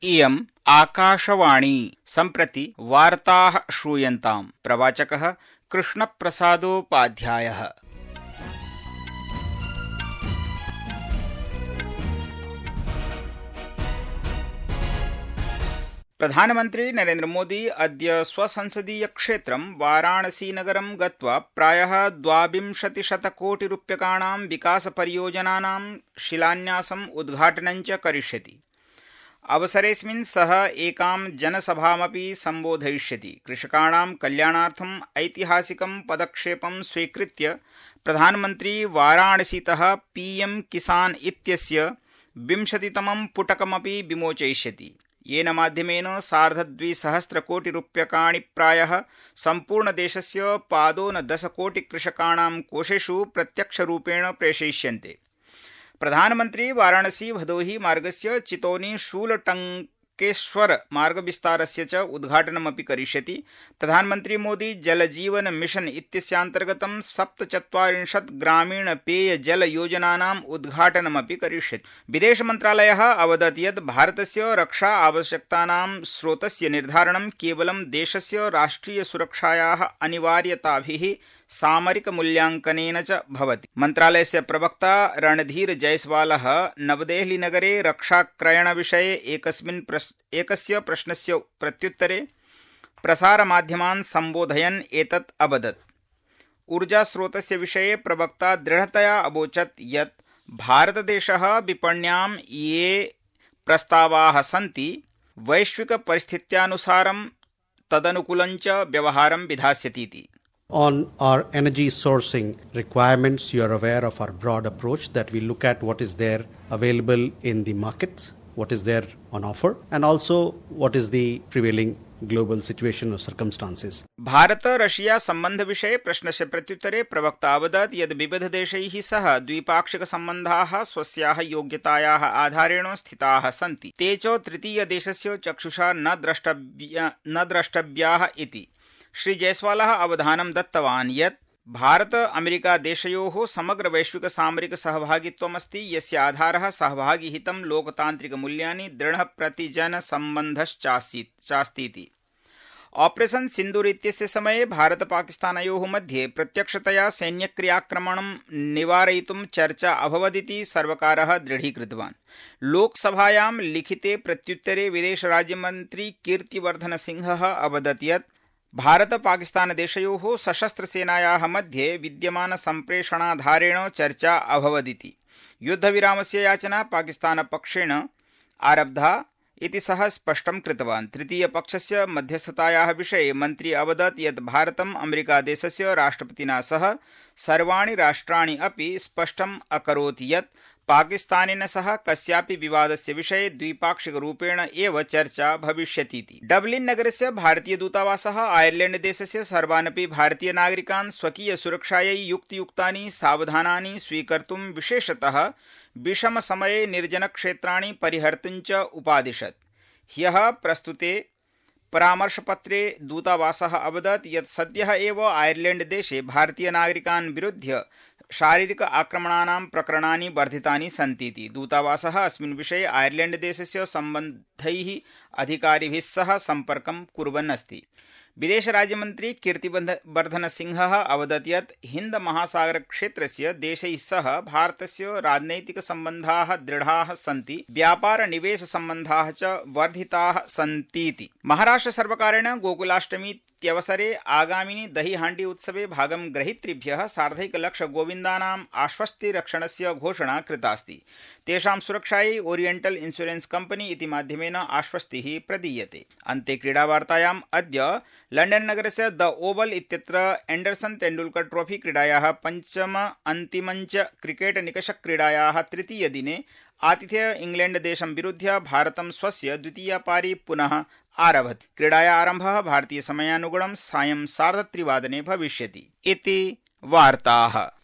इयम् आकाशवाणी सम्प्रति वार्ताः श्रूयन्ताम्। प्रवाचकः कृष्णप्रसादोपाध्यायः। प्रधानमन्त्री नरेन्द्र मोदी अद्य स्वसंसदीय क्षेत्रं वाराणसीनगरं गत्वा प्रायः 22,000,कोटिरूप्यकाणां विकासपरियोजनानां शिलान्यासम् उद्घाटनं च करिष्यति। अवसरेऽस्मिन् सः एकां जनसभामपि सम्बोधयिष्यति। कृषकाणां कल्याणार्थम् ऐतिहासिकं पदक्षेपं स्वीकृत्य प्रधानमन्त्री वाराणसीतः पीएम किसान इत्यस्य 20तमं पुटकमपि विमोचयिष्यति, येन माध्यमेन 2,200,कोटिरूप्यकाणि प्रायः सम्पूर्णदेशस्य पादोनदशकोटिकृषकाणां कोषेषु प्रत्यक्षरूपेण प्रेषयिष्यन्ते। प्रधानमन्त्री वाराणसी भदोही मार्गस्य चितौनी शूलटंकेश्वर मार्गविस्तारस्य च उद्घाटनमपि करिष्यति। प्रधानमन्त्री मोदी जल जीवन मिशन इत्यस्यान्तर्गतं 47 ग्रामीण पेय जल योजनानाम् उद्घाटनमपि करिष्यति। विदेशमन्त्रालयः अवदत् यत् भारतस्य रक्षा आवश्यकतानां स्रोतस्य निर्धारणं केवलं देशस्य राष्ट्रिय सुरक्षायाः अनिवार्यताभिः सामरिकमूल्याङ्कनेन च भवति। मन्त्रालयस्य प्रवक्ता रणधीर जयस्वालः नवदेहलीनगरे रक्षाक्रयणविषये एकस्य प्रश्नस्य प्रत्युत्तरे प्रसारमाध्यमान् सम्बोधयन् एतत् अवदत्। ऊर्जास्रोतस्य विषये प्रवक्ता दृढतया अवोचत् यत् भारतदेशः विपण्यां ये प्रस्तावाः सन्ति वैश्विकपरिस्थित्यानुसारं तदनुकूलं च व्यवहारं विधास्यतीति। On our energy sourcing requirements, you are aware of our broad approach that we look at what is there available in the markets, what is there on offer, and also what is the prevailing global situation or circumstances. Bharata Russia सम्बन्ध विषये प्रश्नस्य प्रत्युत्तरे प्रवक्ता अवदत् यद् विविधदेशैः सह द्विपाक्षिकसम्बन्धाः स्वस्याः योग्यतायाः आधारेण स्थिताः सन्ति। ते च तृतीयदेशस्य चक्षुषा न द्रष्टव्याः इति। श्री जयस्वालः अवधानं दत्तवान् यत् भारत अमेरिका देशयोः समग्र वैश्विक सामरिक सहभागित्वमस्ति, यस्य आधारः सहभागिहितं लोकतान्त्रिकमूल्यानि दृढः प्रतिजनसम्बन्धश्चास्तीति। ऑपरेशन सिन्दूर इत्यस्य समये भारत पाकिस्तानयोः मध्ये प्रत्यक्षतया सैन्यक्रियाक्रमणं निवारयितुं चर्चा अभवदिति सर्वकारः दृढीकृतवान्। लोकसभायां लिखिते प्रत्युत्तरे विदेशराज्यमन्त्री कीर्तिवर्धनसिंहः अवदत् यत् भारत पाकिस्तान देशयोः सशस्त्रसेनायाः मध्ये विद्यमानसम्प्रेषणाधारेण चर्चा अभवदिति। युद्धविरामस्य याचना पाकिस्तानपक्षेण आरब्धा इति सः स्पष्टं कृतवान्। तृतीयपक्षस्य मध्यस्थतायाः विषये मन्त्री अवदत् यत् भारतम् अमेरिकादेशस्य राष्ट्रपतिना सह सर्वाणि राष्ट्राणि अपि स्पष्टम् अकरोत् यत् पाकिस्तानेन सह कस्यापि विवादस्य विषये द्विपाक्षिकरूपेण एव चर्चा भविष्यतीति। डबलिन् नगरस्य भारतीयदूतावासः आयर्लैण्ड देशस्य सर्वानपि भारतीयनागरिकान् स्वकीयसुरक्षायै युक्तियुक्तानि सावधानानि स्वीकर्तुं विशेषतः विषमसमये निर्जनक्षेत्राणि परिहर्तुं च उपादिशत्। ह्यः प्रस्तुते परामर्शपत्रे दूतावासः अवदत् यत् सद्यः एव आयर्लैण्ड देशे भारतीयनागरिकान् विरुध्य शारीरिक आक्रमणानां प्रकरणानि वर्धितानि सन्तीति। दूतावासः अस्मिन् विषये आयर्लैण्ड देशस्य सम्बद्धैः अधिकारिभिः सह सम्पर्कं कुर्वन् अस्ति। विदेशराज्यमन्त्री कीर्तिवर्धनसिंहः अवदत् यत् हिन्द महासागरक्षेत्रस्य देशैः सह भारतस्य राजनैतिकसम्बन्धाः दृढाः सन्ति, व्यापारनिवेशसम्बन्धाः च वर्धिताः सन्तीति। महाराष्ट्रसर्वकारेण गोकुलाष्टमीत्यवसरे आगामिनि दहीहाण्डी उत्सवे भागं ग्रहीतृभ्यः 1,50,000 गोविन्दानाम् आश्वस्तिरक्षणस्य घोषणा कृतास्ति। तेषां सुरक्षायै ओरिएण्टल इन्शुरेन्स कम्पनी इति माध्यमेन आश्वस्तिः प्रदीयते। अन्ते क्रीडावार्तायाम् अद्य लण्डन नगरस्य द ओवल इत्यत्र एण्डरसन तेण्डुलकर ट्रॉफी क्रीडायाः पञ्चम अन्तिमञ्च क्रिकेट निकषक्रीडायाः तृतीयदिने आतिथेय इंग्लैण्डदेशं विरुध्य भारतं स्वस्य द्वितीया पारी पुनः आरभत। क्रीडाया आरम्भः भारतीयसमयानुगुणं सायं 3:30 भविष्यति इति वार्ताः।